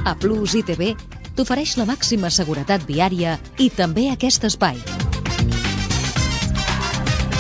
A Plus ITV t'ofereix la màxima seguretat viària i també aquest espai.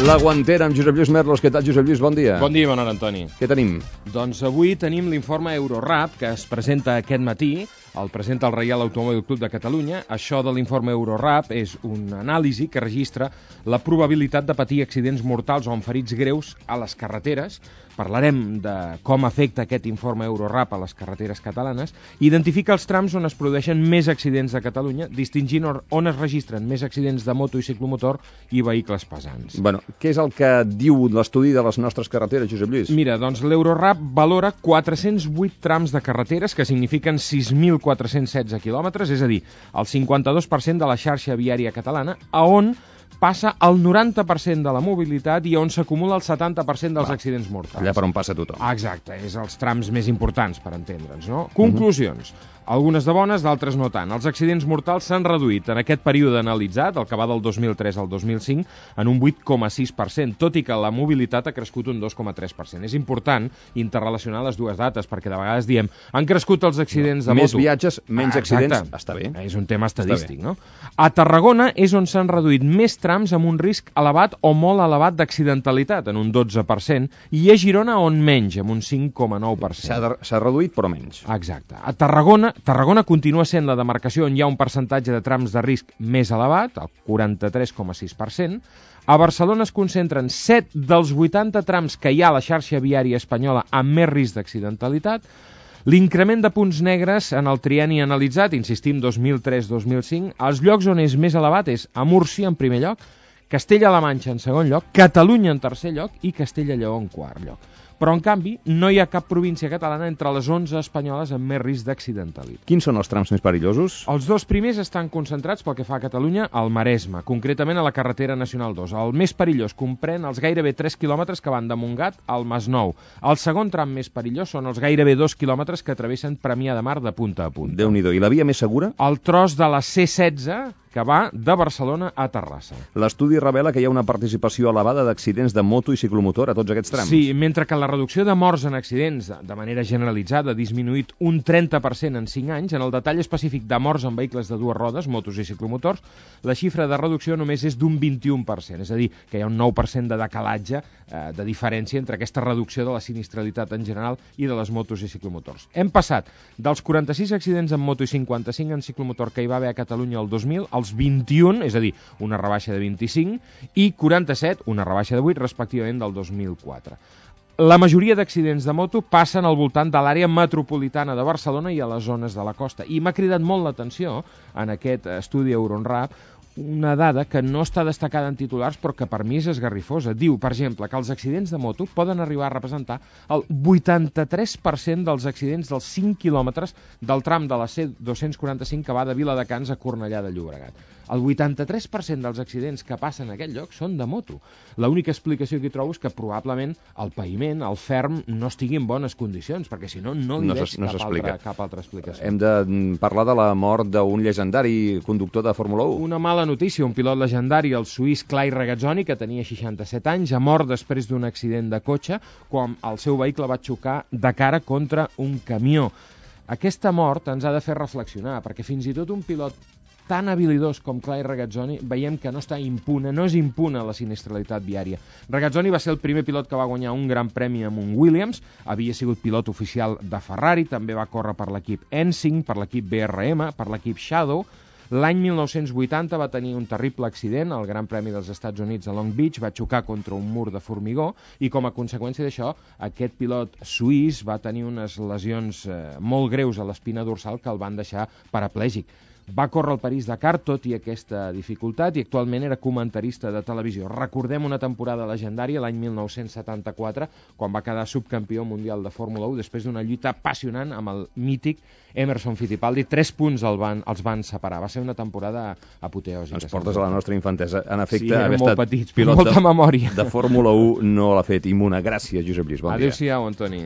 La Guantera amb Josep Lluís Merlos. Què tal, Josep Lluís? Bon dia. Bon dia, bon hora, Antoni. Què tenim? Doncs avui tenim l'informe Eurorap, que es presenta aquest matí. El presenta el Reial Automòbil Club de Catalunya. Això de l'informe Eurorap és una anàlisi que registra la probabilitat de patir accidents mortals o amb ferits greus a les carreteres. Parlarem de com afecta aquest informe Eurorap a les carreteres catalanes. Identifica els trams on es produeixen més accidents de Catalunya, distingint on es registren més accidents de moto i ciclomotor i vehicles pesants. Bueno, què és el que diu l'estudi de les nostres carreteres, Josep Lluís? Mira, doncs l'Eurorap valora 408 trams de carreteres, que signifiquen 6.416 quilòmetres, és a dir, el 52% de la xarxa viària catalana, a on passa el 90% de la mobilitat i on s'acumula el 70% dels accidents mortals. Allà per on passa tothom. Exacte, és els trams més importants, per entendre'ns, no? Conclusions. Algunes de bones, d'altres no tant. Els accidents mortals s'han reduït en aquest període analitzat, el que va del 2003 al 2005, en un 8,6%, tot i que la mobilitat ha crescut un 2,3%. És important interrelacionar les dues dates, perquè de vegades diem han crescut els accidents de moto. Més viatges, menys accidents, està bé. És un tema estadístic, no? A Tarragona és on s'han reduït més trams amb un risc elevat o molt elevat d'accidentalitat, en un 12%, i a Girona on menys, amb un 5,9%. S'ha reduït, però menys. Exacte. A Tarragona continua sent la demarcació on hi ha un percentatge de trams de risc més elevat, el 43,6%. A Barcelona es concentren 7 dels 80 trams que hi ha a la xarxa viària espanyola amb més risc d'accidentalitat. L'increment de punts negres en el trienni analitzat, insistim, 2003-2005, els llocs on és més elevat és a Múrcia en primer lloc, Castella-La Manxa en segon lloc, Catalunya en tercer lloc i Castella-Lleó en quart lloc. Però, en canvi, no hi ha cap província catalana entre les 11 espanyoles amb més risc d'accidentalitat. Quins són els trams més perillosos? Els dos primers estan concentrats pel que fa a Catalunya al Maresme, concretament a la carretera nacional 2. El més perillós comprèn els gairebé 3 quilòmetres que van de Montgat al Masnou. El segon tram més perillós són els gairebé 2 quilòmetres que travessen Premià de Mar de punta a punta. Déu-n'hi-do. I la via més segura? El tros de la C16, que va de Barcelona a Terrassa. L'estudi revela que hi ha una participació elevada d'accidents de moto i ciclomotor a tots aquests trams. Sí, mentre que la reducció de morts en accidents de manera generalitzada ha disminuït un 30% en 5 anys, en el detall específic de morts en vehicles de dues rodes, motos i ciclomotors, la xifra de reducció només és d'un 21%, és a dir, que hi ha un 9% de decalatge, de diferència entre aquesta reducció de la sinistralitat en general i de les motos i ciclomotors. Hem passat dels 46 accidents en moto i 55 en ciclomotor que hi va haver a Catalunya el 2000, als 21, és a dir, una rebaixa de 25, i 47, una rebaixa de 8, respectivament del 2004. La majoria d'accidents de moto passen al voltant de l'àrea metropolitana de Barcelona i a les zones de la costa. I m'ha cridat molt l'atenció en aquest estudi Eurorap una dada que no està destacada en titulars però que per mi és esgarrifosa. Diu, per exemple, que els accidents de moto poden arribar a representar el 83% dels accidents dels 5 quilòmetres del tram de la C245 que va de Viladecans a Cornellà de Llobregat. El 83% dels accidents que passen en aquest lloc són de moto. L'única explicació que hi trobo és que probablement el paviment, el ferm, no estigui en bones condicions, perquè si no, no li veig cap altra explicació. Hem de parlar de la mort d'un llegendari conductor de Fórmula 1. Una mala notícia, un pilot legendari, el suís Clay Regazzoni, que tenia 67 anys, ha mort després d'un accident de cotxe quan el seu vehicle va xocar de cara contra un camió. Aquesta mort ens ha de fer reflexionar, perquè fins i tot un pilot tan habilidós com Clay Regazzoni veiem que no està impune, no és impune la sinistralitat viària. Regazzoni va ser el primer pilot que va guanyar un gran premi amb un Williams, havia sigut pilot oficial de Ferrari, també va córrer per l'equip Ensing, per l'equip BRM, per l'equip Shadow. L'any 1980 va tenir un terrible accident al Gran Premi dels Estats Units a Long Beach, va xocar contra un mur de formigó i com a conseqüència d'això aquest pilot suís va tenir unes lesions molt greus a l'espina dorsal que el van deixar paraplègic. Va córrer el París-Dakar tot i aquesta dificultat i actualment era comentarista de televisió. Recordem una temporada legendària l'any 1974 quan va quedar subcampió mundial de Fórmula 1 després d'una lluita apassionant amb el mític Emerson Fittipaldi. 3 punts els van separar. Va ser una temporada apoteòsica. Ens portes a la nostra infantesa. En efecte, sí, haver molt estat petits, pilot molta memòria de Fórmula 1 no l'ha fet immune. Gràcies, Josep Lluís. Bon dia. Adéu-siau, Antoni.